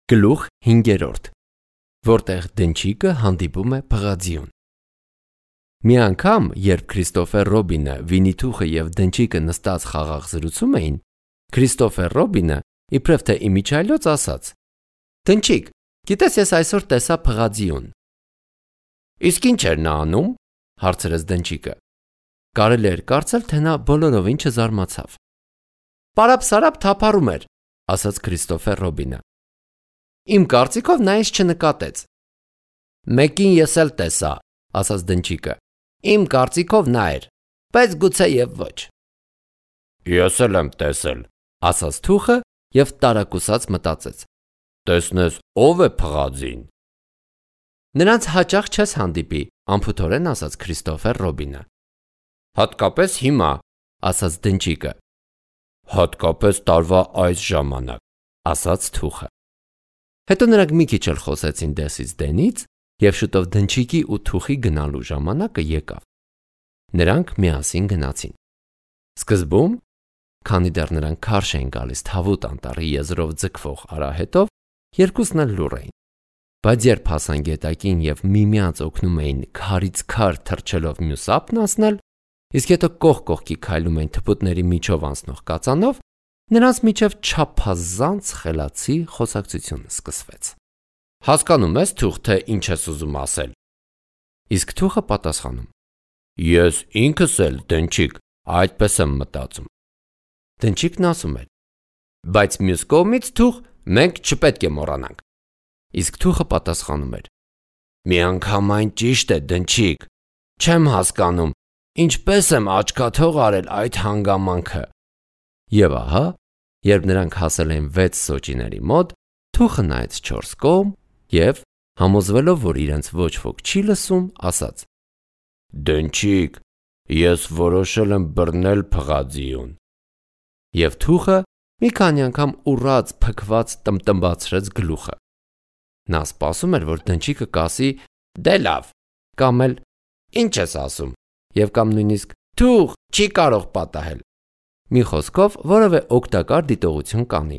Գլուխ 5, որտեղ դնչիկը հանդիպում է փղածիուն։ Մի անգամ, երբ Քրիստոֆեր Ռոբինը, Վիննի-Թուխը և դնչիկը նստած խաղաղ զրուցում էին, Քրիստոֆեր Ռոբինը, իբրև թե իմիջիայլոց ասաց. «Դնչիկ, գիտես ես այսօր տեսա փղածիուն»։ «Իսկ ինչ էր նա անում»։ հարցրեց դնչիկը։ Կարելի էր կարծել, թե նա բոլորովին չզարմացավ։ «Պարապ-սարապ թափառում էր», ասաց Քրիստոֆեր Ռոբինը։ «Իմ կարծիքով նա ինձ չնկատեց»։ «Մեկին ես էլ տեսա», ասաց դնչիկը։ «Իմ կարծիքով նա էր, բայց գուցեև ոչ»։ «Ես էլ եմ տեսել», ասաց Թուխը և տարակուսած մտածեց. «Տեսնես ով է փղածին»։ «Նրանց հաճախ չես հանդիպի», անփութորեն ասաց Քրիստոֆեր Ռոբինը։ «Հատկապես հիմա», ասաց դնչիկը։ «Հատկապես տարվա այս ժամանակ», ասաց Թուխը։ Հետո նրանք մի քիչ էլ խոսեցին դեսից դենից, և շուտով դնչիկի ու Թուխի գնալու ժամանակը եկավ։ Նրանք միասին գնացին։ Սկզբում, քանի դեռ նրանք քարշ էին գալիս Թավուտ անտառի եզրով ձգվող արահետով, երկուսն էլ լուռ էին։ Բայց երբ հասան գետակին և միմյանց օգնում էին քարից քար թռչելով մյուս ափն անցնել, իսկ հետո կողք կողքի քայլում էին թփուտների միջով անցնող կածանով, նրանց միջև չափազանց խելացի խոսակցություն սկսվեց։ «Հասկանում ես, Թուխ, թե ինչ ես ուզում ասել»։ Իսկ Թուխը պատասխանում. «Ես ինքս էլ, դնչիկ, այդպես եմ մտածում»։ Դնչիկն ասում էր. «Բայց մյուս կողմից, Թուխ, մենք չպետք է մոռանանք»։ Իսկ Թուխը պատասխանում էր. «Միանգամայն ճիշտ է, դնչիկ, չեմ հասկանում, ինչպես եմ աչքաթող արել այդ հանգամանքը»։ Եվ ահա, երբ նրանք հասել էին 6 սոճիների մոտ, Թուխը նայեց 4 կողմ և, համոզվելով, որ իրենց ոչ ոք չի լսում, ասաց. «Դնչիկ, ես որոշել եմ բռնել փղածիուն»։ Եվ Թուխը մի քանի անգամ ուռած փքված տմբացրեց գլուխը։ Նա սպասում էր, որ դնչիկը կասի. «Դե լավ», կամ էլ «Ինչ ես ասում» և կամ նույնիսկ «Թուխ, չի կարող պատահել»։ Մի խոսքով, որևէ օգտակար դիտողություն կանի,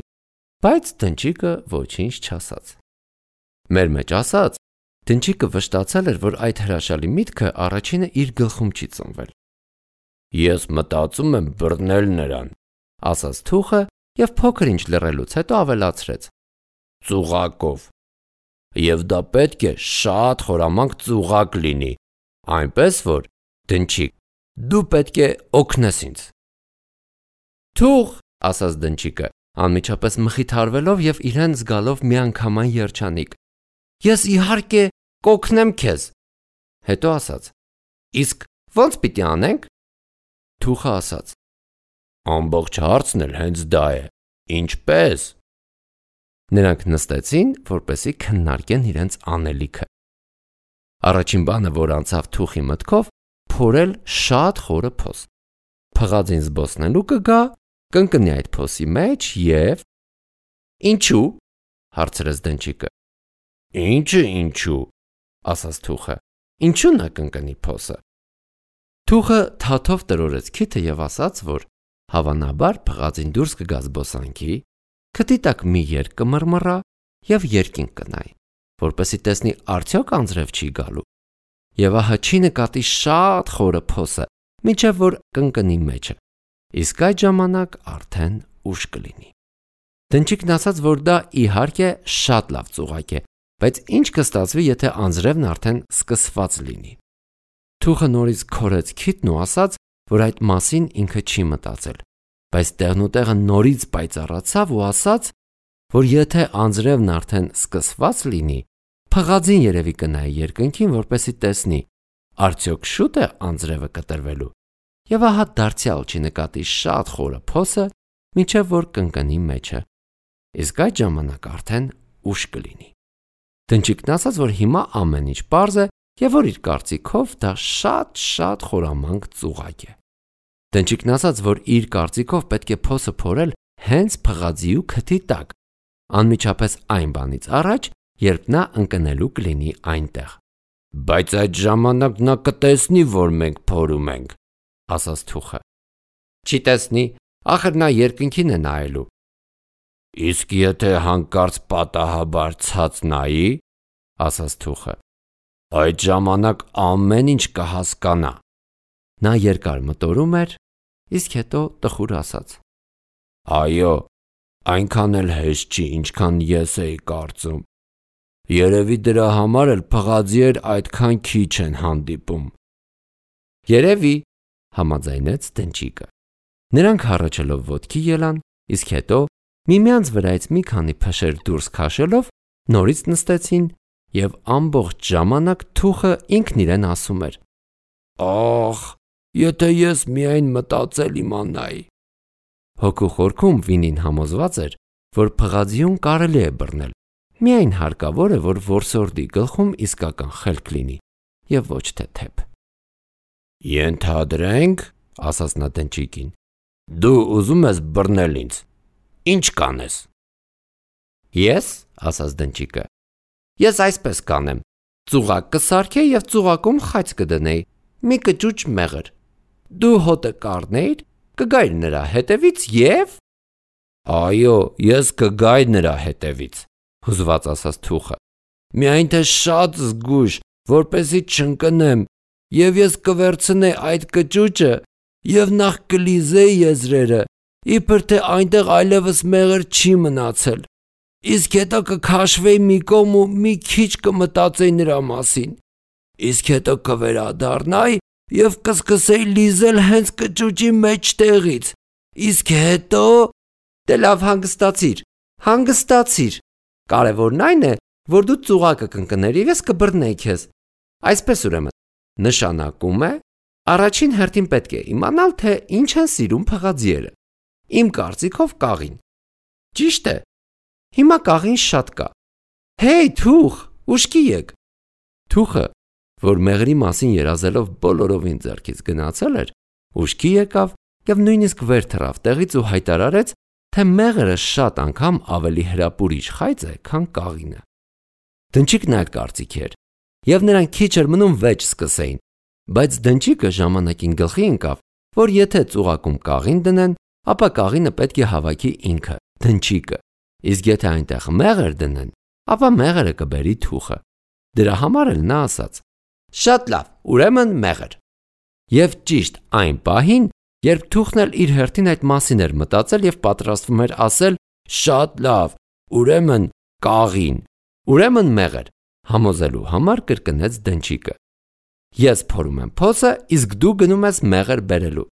բայց դնչիկը ոչինչ չասաց։ Մեր մեջ ասած, դնչիկը վշտացել էր, որ այդ հրաշալի միտքը առաջինը իր գլխում չի ծնվել։ «Ես մտածում եմ բռնել նրան», ասաց Թուխը և փոքր ինչ լռելուց հետո ավելացրեց. «Ծուղակով։ Եվ դա պետք է շատ խորամանկ ծուղակ լինի, այնպես որ, դնչիկ, դու պետք է օգնես ինձ»։ «Թուխ», ասաց դնչիկը, անմիջապես մխիթարվելով և իրեն զգալով միանգամայն երջանիկ, «ես իհարկե կօգնեմ քեզ»։ Հետո ասաց. «Իսկ ո՞նց պիտի անենք»։ Թուխը ասաց. «Ամբողջ հարցն էլ հենց դա է, ինչպե՞ս»։ Նրանք նստեցին, որպեսզի քննարկեն իրենց անելիքը։ Առաջին բանը, որ անցավ Թուխի մտքով, փորել շատ խորը փոս։ Փղածին զբոսնելու կգա, կընկնի այդ փոսի մեջ և… «Ինչու՞, հարցրեց դնչիկը։ «Ի՞նչը ինչու», ասաց Թուխը, «ինչու նա կընկնի փոսը»։ Թուխը թաթով տրորեց քիթը և ասաց, որ հավանաբար փղածին դուրս կգա զբոսանքի, քթի տակ մի երկ կմռմռա և երկինք կնայի, որպեսզի տեսնի արդյոք անձրև չի գալու, և ահա չի նկատի շատ խորը փոսը, մինչև որ կընկնի մեջը, իսկ այդ ժամանակ արդեն ուշ կլինի։ Դնչիկն ասաց, որ դա իհարկե շատ լավ ծուղակ է, բայց ինչ կստացվի, եթե անձրևն արդեն սկսված լինի։ Թուխը նորից քորեց քիթն ու ասաց, որ այդ մասին ինքը չի մտածել, բայց տեղնուտեղը նորից պայծառացավ ու ասաց, որ եթե անձրևն արդեն սկսված լինի, փղածին երևի կնայի երկնքին, որպեսզի տեսնի, արդյոք շուտ է անձրևը կտրվելու, և ահա դարձյալ չի նկատի շատ խորը փոսը, մինչև որ կընկնի մեջը, իսկ այդ ժամանակ արդեն ուշ կլինի։ Դնչիկն ասաց, որ հիմա ամեն ինչ պարզ է և որ իր կարծիքով դա շատ խորամանկ ծուղակ է։ Դնչիկն ասաց, որ իր կարծիքով պետք է փոսը փորել հենց փղածիու քթի տակ, անմիջապես այն բանից առաջ, երբ նա ընկնելու կլինի այնտեղ։ «Բայց այդ ժամանակ նա կտեսնի, որ մենք փորում ենք», ասաց Թուխը։ «Չի տեսնի, ախր նա երկնքին է նայելու»։ Իսկ եթե հանկարծ պատահաբար ցած նայի, ասաց թուխը, այդ ժամանակ ամեն ինչ կհասկանա։ Նա երկար մտորում էր, իսկ հետո տխուր ասաց. Այո, այնքան էլ հեշտ չի, ինչքան ես էի կարծում։ Երևի դրա համար էլ փղաձիեր այդքան քիչ են հանդիպում։ Երևի, համաձայնեց Դնչիկը։ Նրանք հառաչելով ոտքի ելան, իսկ հետո միմյանց վրայից մի քանի փշեր դուրս քաշելով նորից նստեցին և ամբողջ ժամանակ թուխը ինքն իրեն ասում էր. Ախ, եթե ես միայն մտածել իմանայի։ Հոգու խորքում Վինին համոզված էր, որ փղաձիուն կարելի է բռնել, միայն հարկավոր է, որ որսորդի գլխում իսկական խելք լինի և ոչ թե թեփ։ Ենթադրենք, ասաց նա Դնչիկին, դու ուզում ես բռնել ինձ, ինչ կանես։ Ես, ասաց Դնչիկը, ես այսպես կանեմ, ծուղակ կսարքեի և ծուղակում խաց կդնեի, մի կճուճ մեղր, դու հոտը կառնեիր, կգայր նրա հետևից և… Այո, ես կգայի նրա հետևից, հուզված ասաց թուխը, միայն թե շատ զգույշ, որպեսզի չընկնեմ, և ես կվերցնեի այդ կճուճը և նախ կլիզեի եզրերը, իբր թե այնտեղ այլևս մեղր չի մնացել, իսկ հետո կքաշվեի մի կողմ ու մի քիչ կմտածեի նրա մասին, իսկ հետո կվերադառնայի և կսկսեի լիզել հենց կճուճի մեջտեղից, իսկ հետո… Դե լավ, հանգստացիր, կարևորն այն է, որ դու ծուղակը կընկներ և ես կբռնեի քեզ, այսպես ուրեմն, նշանակում է, առաջին հերթին պետք է իմանալ, թե ինչ են սիրում փղաձիերը, իմ կարծիքով կաղին, ճիշտ է, հիմա կաղին շատ կա, հեյ թուխ, ուշքի եկ։ Թուխը, որ մեղրի մասին երազելով բոլորովին ձեռքից գնացել էր, ուշքի եկավ և նույնիսկ վեր թռավ տեղից ու հայտարարեց, թե մեղրը շատ անգամ ավելի հրապուրիչ խայծ է, քան կաղինը։ Դնչիկն այլ կարծիքի էր, և նրանք քիչ էր մնում վեճ սկսեին, բայց Դնչիկը ժամանակին գլխի ընկավ, որ եթե ծուղակում կաղին դնեն, ապա կաղինը պետք է հավաքի ինքը, Դնչիկը, իսկ եթե այնտեղ մեղր դնեն, ապա մեղրը կբերի թուխը։ Դրա համար էլ նա ասաց. Շատ լավ, ուրեմն մեղր։ Եվ ճիշտ այն պահին, երբ թուխն էլ իր հերթին այդ մասին էր մտածել և պատրաստվում էր ասել. Շատ լավ, ուրեմն կաղին, ուրեմն մեղր, համոզելու համար կրկնեց Դնչիկը. Ես փորում եմ փոսը, իսկ դու գնում ես մեղր բերելու։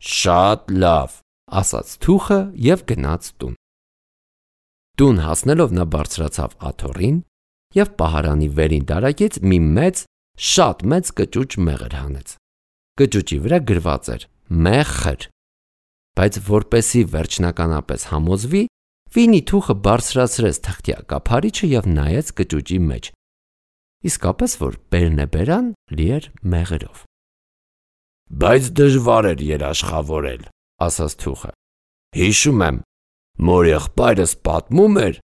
Շատ լավ, ասաց թուխը և գնաց տուն։ Տուն հասնելով նա բարձրացավ աթոռին և պահարանի վերին դարակից մի շատ մեծ կճուճ մեղր հանեց։ Կճուճի վրա գրված էր մեղր, բայց որպեսզի վերջնականապես համոզվի, Վինի թուխը բարձրացրեց թղթյա կափարիչը և նայեց կճուճի մեջ։ Իսկապես որ բերնեբերան լի էր մեղրով։ Բայց դժվար էր երաշխավորել, ասաց թուխը։ Հիշում եմ, մոր եղբայրս պատմում էր,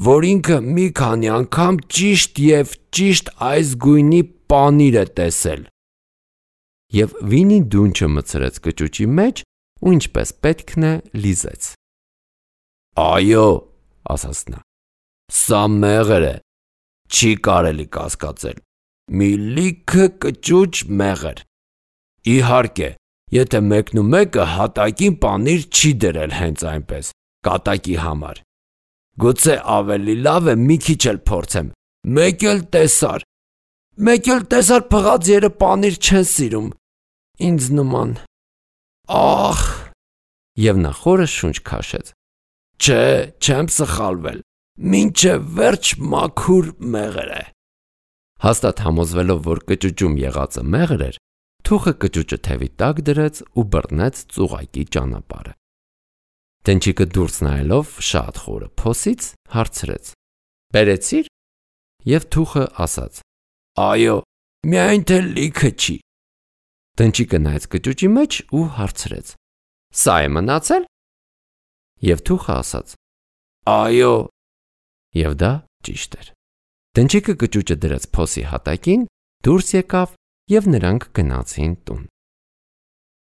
որ ինքը մի քանի անգամ ճիշտ և ճիշտ այս գույնի պանիր է տեսել։ Եվ Վինի դունչը մտցրեց կճուճի մեջ ու ինչպես պետքն է լիզեց։ Այո, ասաց նա, սա մեղր է, չի կարելի կասկածել, մի լիքը կճուճ մեղր։ Իհարկե, եթե մեկնումեկը հատակին պանիր չի դրել հենց այնպես, կատակի համար։ Գուցե ավելի լավ է մի քիչ էլ փորձեմ, մեկ էլ տեսար փղաձիերը պանիր չեն սիրում, ինձ նման, ախ… Եվ նա խորը շունչ քաշեց։ Չէ, չեմ սխալվել, մինչև վերջ մաքուր մեղր է։ Հաստատ համոզվելով, որ կճուճում եղածը մեղր էր, թուխը կճուճը թևի տակ դրեց ու բռնեց ծուղակի ճանապարհը։ Դնչիկը դուրս նայելով շատ խորը փոսից հարցրեց. Բերեցի՞ր։ Եվ թուխը ասաց. Այո, միայն թե լիքը չի։ Դնչիկը նայեց կճուճի մեջ ու հարցրեց. Սա է մնացել։ Եվ թուխը ասաց. Այո։ Եվ դա ճիշտ էր։ Դնչիկը կճուճը դրեց փոսի հատակին, դուրս եկավ և նրանք գնացին տուն։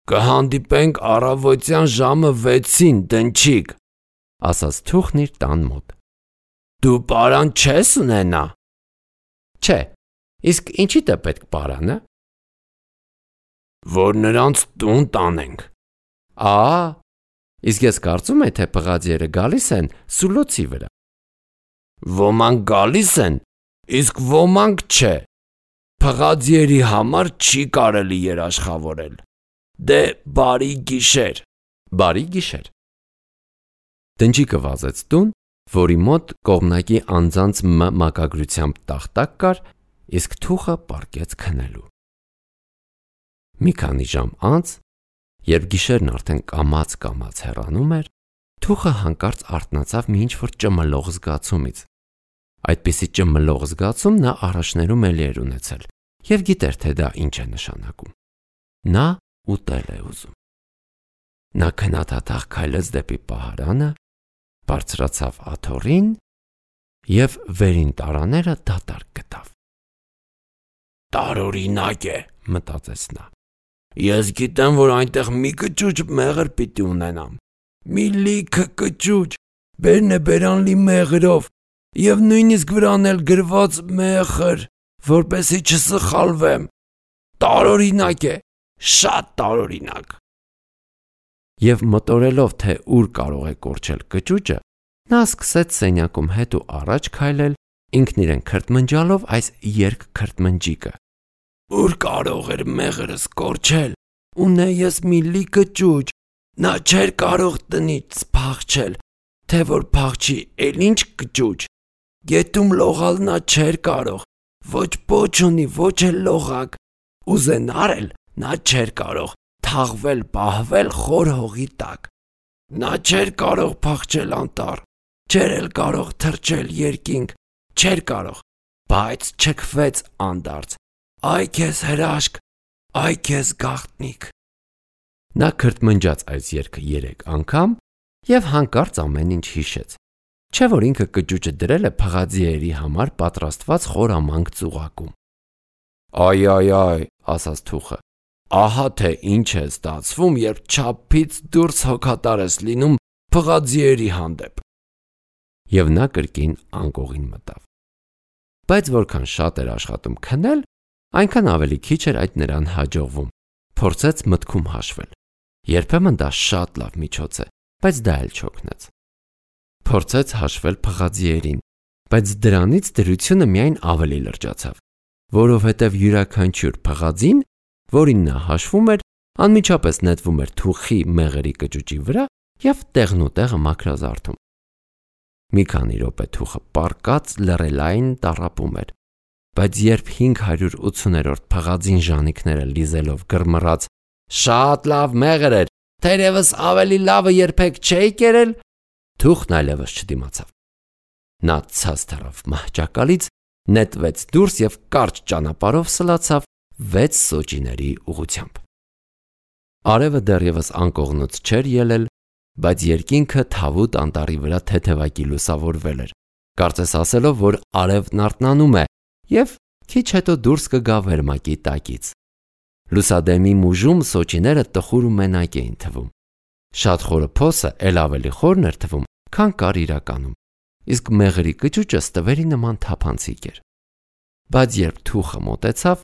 Կհանդիպենք առավոտյան ժամը 6-ին, Դնչիկ, ասաց թուխն իր տան մոտ։ Դու պարան չես ունենա։ Չէ, իսկ ինչի՞դ է պետք պարանը։ Որ նրանց տուն տանենք։ Իսկ ես կարծում եմ, թե պղաձիերը գալիս են սուլոցի վրա։ Ոմանք գալիս են, իսկ ոմանք չէ։ Պղաձիերի համար չի կարելի երաշխավորել։ Դե բարի գիշեր։ Բարի գիշեր։ Դնչիկը վազեց տուն, որի մոտ կողմնակի անձանց մակագրությամբ տախտակ կար, իսկ թուխը պառկեց քնելու։ Մի քանի ժամ անց, երբ գիշերն արդեն կամաց հեռանում էր, թուխը հանկարծ արթնացավ մի ինչ-որ ճմլող զգացումից։ Այդպիսի ճմլող զգացում նա առաջներում էլի էր ունեցել և գիտեր, թե դա ինչ է նշանակում։ Նա ուտել է ուզում։ Նա քնաթաթախ քայլեց դեպի պահարանը, բարձրացավ աթոռին և վերին տարաները դատարկ գտավ։ Տարօրինակ է, մտածեց նա։ Ես գիտեմ, որ այնտեղ մի կճուճ մեղր պիտի ունենամ։ Մի լիքը կճուճ, բերն է բերանլի մեղրով, և նույնիսկ վրան էլ գրված մեղր, որպեսզի չսխալվեմ։ Տարօրինակ է, շատ տարօրինակ։ Եվ մտորելով, թե ուր կարող է կորչել կճուճը, նա սկսեց սենյակում հետ ու առաջ քայլել, ինքն իրեն քրթմնջալով այս երկքրթմնջիկը։ Ուր կարող էր մեղրս կորչել, ունե ես մի լիքը ճուճ, նա չէր կարող տնից փախչել, թե որ փախչի, էլ ինչ կճուճ, գետում լողալ նա չէր կարող, ոչ պոչ ունի, ոչ էլ լողակ, ուզենար էլ նա չէր կարող թաղվել, պահվել խոր հողի տակ, նա չէր կարող փախչել անտառ, չէր էլ կարող թռչել երկինք, չէր կարող, բայց չքվեց անդարձ, այ քեզ հրաշք, այ քեզ գաղտնիք։ Նա քրթմնջաց այս երգը 3 անգամ և հանկարծ ամեն ինչ հիշեց, չէ որ ինքը կճուճը դրել է փղաձիերի համար պատրաստված խորամանկ ծուղակում։ Այ, ասաց թուխը, ահա թե ինչ է ստացվում, երբ չափից դուրս հոգատար ես լինում փղաձիերի հանդեպ։ Եվ նա կրկին անկողին մտավ։ Բայց որքան շատ էր աշխատում քնել, այնքան ավելի քիչ էր այդ նրան հաջողվում, փորձեց մտքում հաշվել։ Երբեմն դա շատ լավ միջոց է, բայց դա էլ չօգնեց։ Փորձեց հաշվել փղաձիերին, բայց դրանից դրությունը միայն ավելի լրջացավ, որովհետև յուրաքանչյուր փղաձին, որին նա հաշվում էր, անմիջապես նետվում էր թուխի մեղրի կճուճի վրա և տեղնուտեղը մաքրազարդում։ Մի քանի րոպե թուխը պառկած լռելային տառապում էր, բայց երբ 580-րդ փղաձին ժանիքները լիզելով գրմռաց. «Շատ լավ մեղր էր, թերևս ավելի լավը երբեք չէի կերել», թուխն այլևս չդիմացավ։ Նա ցած թռավ մահճակալից, նետվեց դուրս և կարճ ճանապարհով սլացավ 6 սոճիների ուղղությամբ։ Արևը դեռևս անկողնուց չէր ելել, բայց երկինքը թավուտ անտառի վրա թեթևակի լուսավորվել էր, կարծես ասելով, որ արևն արթնանում է և քիչ հետո դուրս կգա վերմակի տակից։ Լուսադեմի մուժում սոճիները տխուր ու մենակ էին թվում։ Շատ խորը փոսը էլ ավելի խորն էր թվում, քան կար իրականում, իսկ մեղրի կճուճը ստվերի նման թափանցիկ էր։ Բայց երբ թուխը մոտեցավ,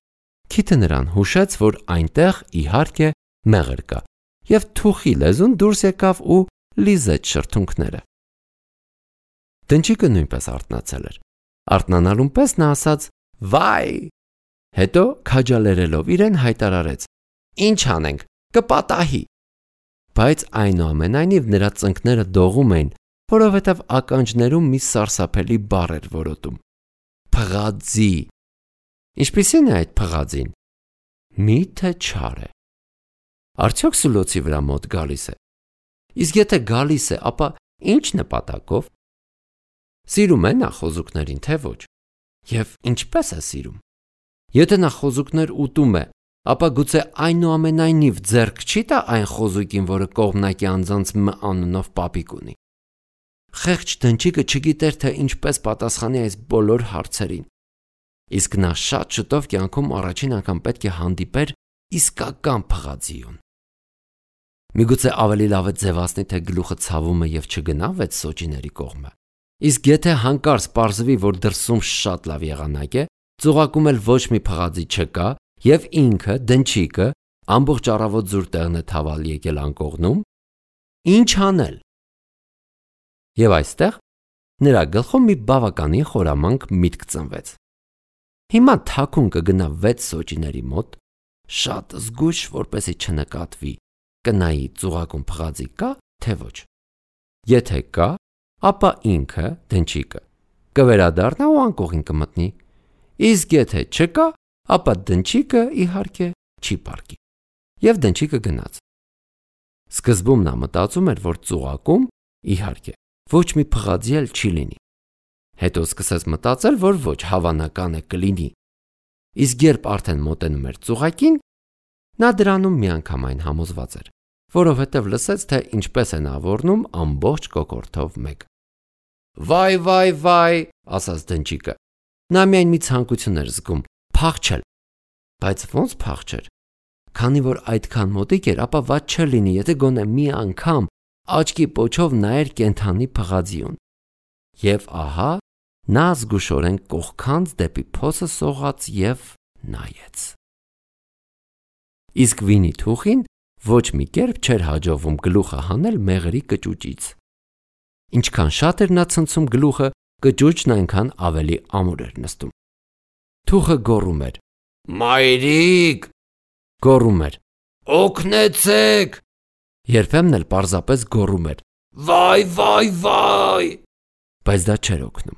քիթը նրան հուշեց, որ այնտեղ իհարկե մեղր կա, և թուխի լեզուն դուրս եկավ ու լիզեց շրթունքները։ Դնչիկը նույնպես արթնացել էր։ Արթնանալուն պես նա ասաց. «Վայ», հետո քաջալերելով իրեն հայտարարեց. «Ինչ անենք, կպատահի»։ Բայց այնուամենայնիվ նրա ծնկները դողում էին, որովհետև ականջներում մի սարսափելի բառ էր որոտում. փղաձի։ Ինչպիսին է այդ փղաձին։ Մի՞թե չար է։ Արդյոք սուլոցի վրա մոտ գալիս է։ Իսկ եթե գալիս է, ապա ինչ նպատակով։ Սիրում է նա խոզուկներին, թե ոչ։ Եվ ինչպես է սիրում։ Եթե նա խոզուկներ ուտում է, ապա գուցե այնուամենայնիվ ձեռք չի տա այն խոզուկին, որը կողմնակի անձանց Մ անունով պապիկ ունի։ Խեղճ դնչիկը չգիտեր, թե ինչպես պատասխանի այս բոլոր հարցերին։ Իսկ նա շատ շուտով կյանքում առաջին անգամ պետք է հանդիպեր իսկական փղաձիուն։ Միգուցե ավելի լավ է ձևացնի, թե գլուխը ցավում է եւ չգնա 6 սոճիների կողմը։ Իսկ եթե հանկարծ պարզվի, որ դրսում շատ լավ եղանակ է, ծուղակում էլ ոչ մի փղածի չկա եւ ինքը դնչիկը ամբողջ առավոտ զուր տեղն է թավալ եկել անկողնում, ինչ անել։ Եվ այստեղ նրա գլխում մի բավականին խորամանկ միտք ծնվեց։ Հիմա թաքուն կգնա 6 սոճիների մոտ, շատ զգույշ, որպեսզի չնկատվի, կնայի ծուղակում փղածի կա, թե ոչ։ Եթե կա, ապա ինքը դնչիկը կվերադառնա ու անկողին կմտնի։ Իսկ եթե չկա, ապա դնչիկը իհարկե չի պառկի։ Եվ դնչիկը գնաց։ Սկզբում նա մտածում էր, որ ծուղակում, իհարկե, ոչ մի փղածի էլ չի լինի։ Հետո սկսեց մտածել, որ ոչ հավանական է կլինի։ Իսկ երբ արդեն մոտենում էր ծուղակին, նա դրանում միանգամայն համոզված էր, որովհետև լսեց, թե ինչպես է նա ворնում ամբողջ կոկորդով մեկ։ Վայ, վայ, վայ, ասաց դնչիկը։ Նա միայն մի ցանկություն էր զգում՝ փախչել։ Բայց ո՞նց փախչեր։ Քանի որ այդքան մոտիկ էր, ապա ված չլինի, եթե գոնե մի անգամ աչքի պոչով նայեր կենթանի փղածիուն։ Եվ ահա նա զգուշորեն կողքանց դեպի փոսը սողաց եւ նայեց։ Իսկ Վինի-Թուխին ոչ մի կերպ չէր հաջողվում գլուխը հանել մեղրի կճուճից։ Ինչքան շատ էր նա ցնցում գլուխը, կճուճն այնքան ավելի ամուր էր նստում։ Թուխը գոռում էր. «Մայրիկ», գոռում էր. «Օգնեցեք», երբեմն էլ պարզապես գոռում էր. «Վայ, վայ, վայ», բայց դա չէր օգնում։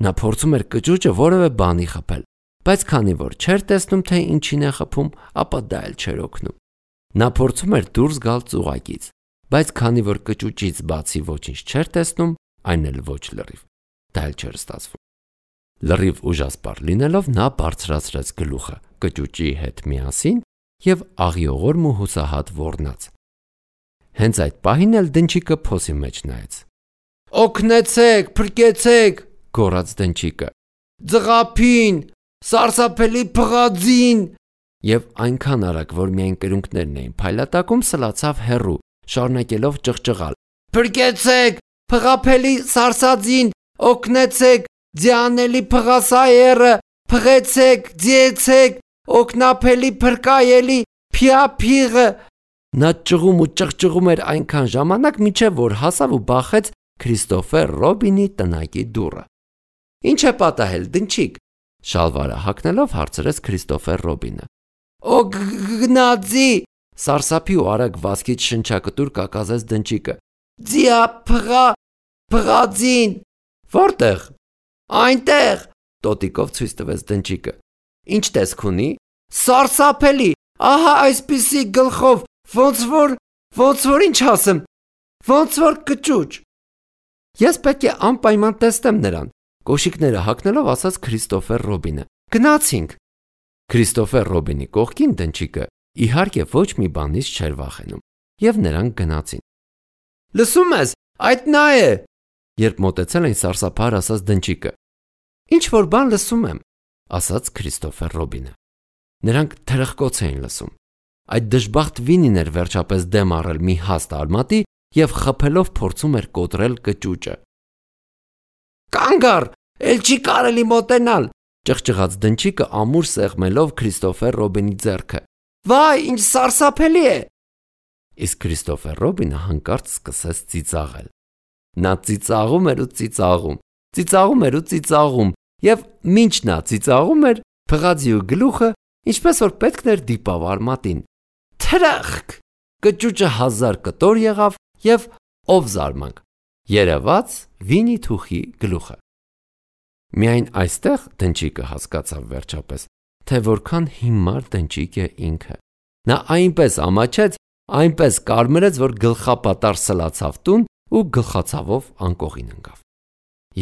Նա փորձում էր կճուճը որևէ բանի խփել, բայց քանի որ չէր տեսնում, թե ինչին է խփում, ապա դա էլ չէր օգնում։ Նա փորձում էր դուրս գալ ծուղակից, բայց քանի որ կճուճից բացի ոչինչ չէր տեսնում, այն էլ ոչ լրիվ, դա էլ չէր ստացվում։ Լրիվ ուժասպառ լինելով նա բարձրացրեց գլուխը կճուճի հետ միասին եւ աղիողորմ ու հուսահատ ոռնաց։ Հենց այդ պահին էլ դնչիկը փոսի մեջ նայեց։ «Օգնեցեք, փրկեցեք», գոռաց դնչիկը։ «Ձղափին, սարսափելի փղածին»։ Եվ այնքան արագ, որ միայն կրունկներն էին փայլատակում, սլացավ հեռու, շարունակելով ճղճղալ. «Փրկեցեք, փղափելի սարսածին, օգնեցեք, ձյանելի փղասայերը, փղեցեք, ձիեցեք, օգնափելի փրկայելի փիափիղը»։ Նա ճղում ու ճղճղում էր այնքան ժամանակ, մինչև որ հասավ ու բախեց Քրիստոֆեր Ռոբինի տնակի դուռը։ «Ինչ է պատահել, դնչիկ», շալվարը հագնելով հարցրեց Քրիստոֆեր Ռոբինը։ «Գնացի», սարսափի ու արագ վազքից շնչակտուր կակազեց դնչիկը։ «Ձիա փղածին»։ «Որտեղ»։ «Այնտեղ», տոտիկով ցույց տվեց դնչիկը։ «Ինչ տեսք ունի»։ «Սարսափելի, ահա այսպիսի գլխով, ոնց որ ինչ ասեմ, ոնց որ կճուճ»։ «Ես պետք է անպայման տեսնեմ նրան», կոշիկները հագնելով ասաց Քրիստոֆեր Ռոբինը։ «Գնացինք»։ Քրիստոֆեր Ռոբինի կողքին դնչիկը իհարկե ոչ մի բանից չէր վախենում, եւ նրանք գնացին։ «Լսում ես, այդ նա է», երբ մոտեցել էին սարսափահար ասաց դնչիկը։ «Ինչ որ բան լսում եմ», ասաց Քրիստոֆեր Ռոբինը։ Նրանք թրխկոց էին լսում։ Այդ դժբախտ Վինին էր վերջապես դեմ առել մի հաստ արմատի եւ խփելով փորձում էր կոտրել կճուճը։ «Կանգ առ, էլ չի կարելի մոտենալ», ճղճղաց դնչիկը ամուր սեղմելով Քրիստոֆեր Ռոբինի ձեռքը։ «Վայ, ինչ սարսափելի է»։ Իսկ Քրիստոֆեր Ռոբինը հանկարծ սկսեց ծիծաղել։ Նա ծիծաղում էր ու ծիծաղում, ծիծաղում էր ու ծիծաղում, եւ մինչ նա ծիծաղում էր, փղածի ու գլուխը, ինչպես որ պետք էր, դիպավ արմատին։ Թրախկ! Կճուճը 1000 կտոր եղավ եւ ով զարմանք, երևաց Վինի-Թուխի գլուխը։ Միայն այստեղ դնչիկը հասկացավ վերջապես, թե որքան հիմար դնչիկ է ինքը։ Նա այնպես ամաչեց, այնպես կարմրեց, որ գլխապատար սլացավ տուն ու գլխացավով անկողին ընկավ։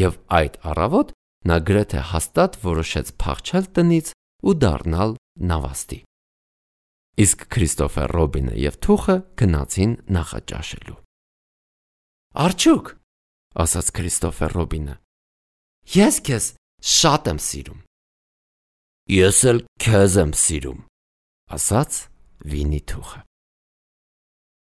Եվ այդ առավոտ նա գրեթե հաստատ որոշեց փախչել տնից ու դառնալ նավաստի։ Իսկ Քրիստոֆեր Ռոբինը եւ Թուխը գնացին նախաճաշելու։ «Արջուկ», ասաց Քրիստոֆեր Ռոբինը, «ես քեզ շատ եմ սիրում»։ «Ես էլ քեզ եմ սիրում», ասաց Վինի-Թուխը։